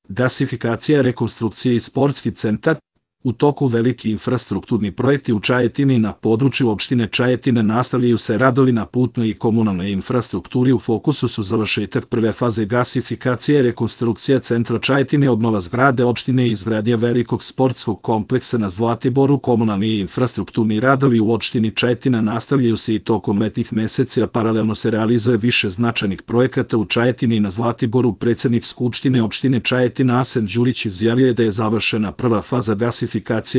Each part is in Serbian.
gasifikacija, rekonstrukcija i sportski centar. U toku veliki infrastrukturni projekti u Čajetini. Na području opštine Čajetina nastavljaju se radovi na putnoj i komunalnoj infrastrukturi. U fokusu su završetak prve faze gasifikacije, rekonstrukcija centra Čajetine, obnova zgrade opštine i izgradnja velikog sportskog kompleksa na Zlatiboru. Komunalni i infrastrukturni radovi u opštini Čajetina nastavljaju se i tokom letnjih meseci, a paralelno se realizuje više značajnih projekata u Čajetini i na Zlatiboru. Predsednik Skupštine opštine Čajetina Asen Đurić izjavio je da je završena prva faza gasifikacije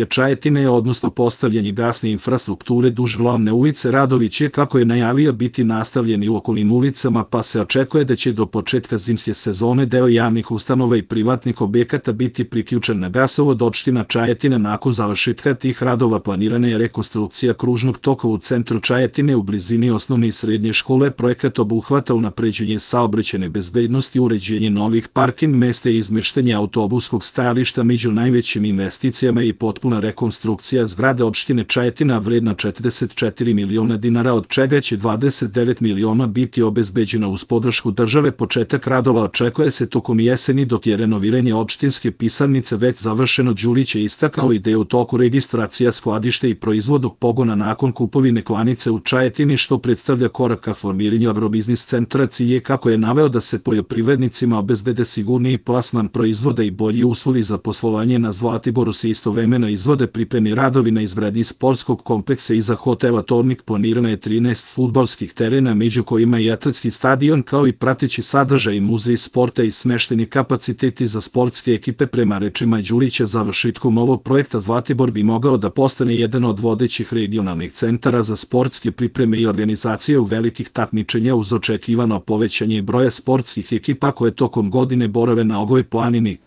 Čajetine, odnosno postavljanje gasne infrastrukture duž glavne ulice. Radovi će, kako je najavio, biti nastavljeni u okolnim ulicama, pa se očekuje da će do početka zimske sezone deo javnih ustanova i privatnih objekata biti priključen na gasovod. Opština Čajetina. Nakon završetka tih radova planirana je rekonstrukcija kružnog toka u centru Čajetine u blizini osnovne i srednje škole. Projekat obuhvata unapređenje saobraćajne bezbednosti, uređenje novih parking mesta i izmeštanje autobuskog stajališta. Među najvećim investicijama i potpuna rekonstrukcija zgrade opštine Čajetina vredna 44 miliona dinara, od čega će 29 miliona biti obezbeđena uz podršku države. Početak radova očekuje se tokom jeseni, dok je renoviranje opštinske pisarnice već završeno. Đurić je istakao i da je u toku registracija skladišta i proizvodnog pogona nakon kupovine klanice u Čajetini, što predstavlja korak ka formiranju agrobiznis centra. Cilj je, kako je naveo, da se poljoprivrednicima obezbede sigurniji plasman proizvoda i bolji uslovi za poslovanje. Na Zlatiboru se istovremeno izvode pripremni radovi na izgradnji sportskog kompleksa iza hotela Tornik. Planirano je 13 fudbalskih terena, među kojima i atletski stadion, kao i prateći sadržaj, muzej sporta i smešteni kapaciteti za sportske ekipe. Prema rečima Đurića, završetkom ovog projekta Zlatibor bi mogao da postane jedan od vodećih regionalnih centara za sportske pripreme i organizacije u velikih takmičenja, uz očekivano povećanje broja sportskih ekipa koje tokom godine borave na ovoj planini.